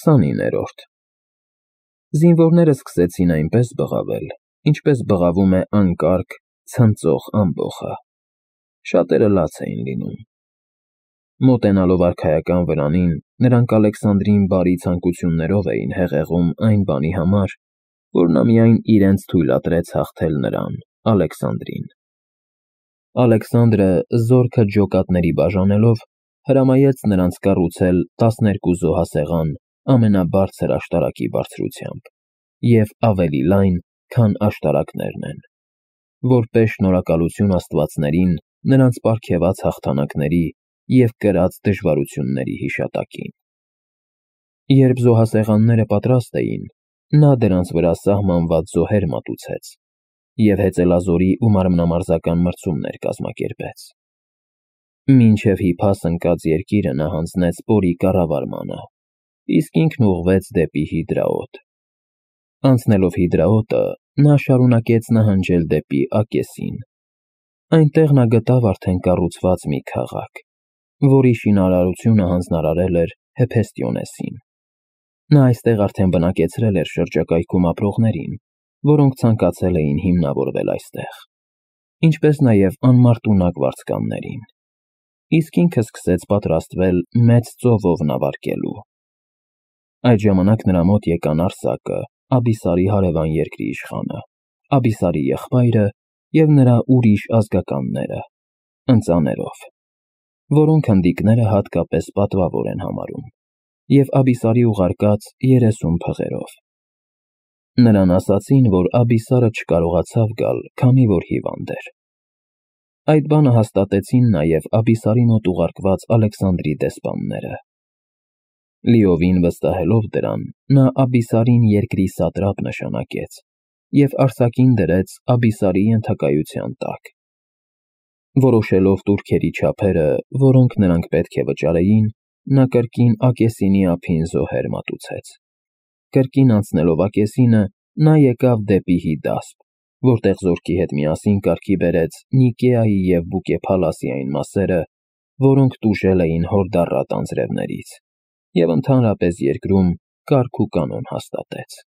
29-րդ Զինվորները սկսեցին այնպես բղավել, ինչպես բղավում է անկարգ, ցնծող ամբոխը. շատերը լաց էին լինում։ Մոտենալով արքայական վրանին, նրանք Ալեքսանդրին բարի ցանկություններով էին հեղեղում այն բանի համար, որ նա միայն իրենց թույլատրեց հաղթել նրան, Ալեքսանդրին։ Ալեքսանդրը, զորքը ջոկատների բաժանելով, հրամայեց նրանց կառուցել 12 զոհասեղան ամենաբարձր աշտարակի բարձրությամբ և ավելի լայն, քան աշտարակներն են, որպես շնորհակալություն աստվածներին նրանց պարգևած հաղթանակների և կրած դժվարությունների հիշատակին։ Երբ զոհասեղանները պատրաստ էին, նա դրանց վրա սահմանված զոհեր մատուցեց և հեծելազորի ու մարմնամարզական մրցումներ կազմակերպեց։ Մինչև հիփաս ընկած երկիրը նա հանձնեց պորի կառավարմանը, իսկ ինքն ուղղվեց դեպի Հիդրաոտ։ Անցնելով Հիդրաոտը, նա շարունակեց նահանջել դեպի Ակեսին։ Այնտեղ նա գտավ արդեն կառուցված մի քաղաք, որի շինարարությունը հանձնարարել էր Հեփեստիոնեսին։ Նա այստեղ արդեն բնակեցրել էր շրջակայքում ապրողներին, որոնք ցանկացել էին հիմնավորվել այստեղ, ինչպես նաև անմարտունակ վարձկաններին, իսկ ինքը սկսեց պատրաստվել մեծ ծովով նավարկելու։ Այդ ժամանակ նրա մոտ եկան Արսակը, Աբիսարի հարևան երկրի իշխանը, Աբիսարի եղբայրը և նրա ուրիշ ազգականները, ընծաներով, որոնք հնդիկները հատկապես պատվավոր են համարում, և Աբիսարի ուղարկած 30 փղերով։ Նրան ասացին, որ Աբիսարը չկարողացավ գալ, քանի որ հիվանդ էր։ Այդ բանը հաստատեցին նաև Աբիսարի մոտ ուղարկված Ալեքսանդրի դեսպանները։ Լիովին վստահելով դրան, նա Աբիսարին երկրի սատրապ նշանակեց և Արսակին դրեց Աբիսարի ենթակայության տակ։ Որոշելով տուրքերի չափերը, որոնք նրանք պետք է վճարեին, նա կրկին Ակեսինի ափին զոհեր մատուցեց։ Կրկին անցնելով Ակեսինը, նա եկավ դեպի Հիդասպ, որտեղ զորքի հետ միասին կարգի բերեց Նիկեայի և Բուկեփալասի այն մասերը, որոնք տուժել էին հորդառատ անձրևներից, և ընդհանրապես երկրում կարգ ու կանոն հաստատեց։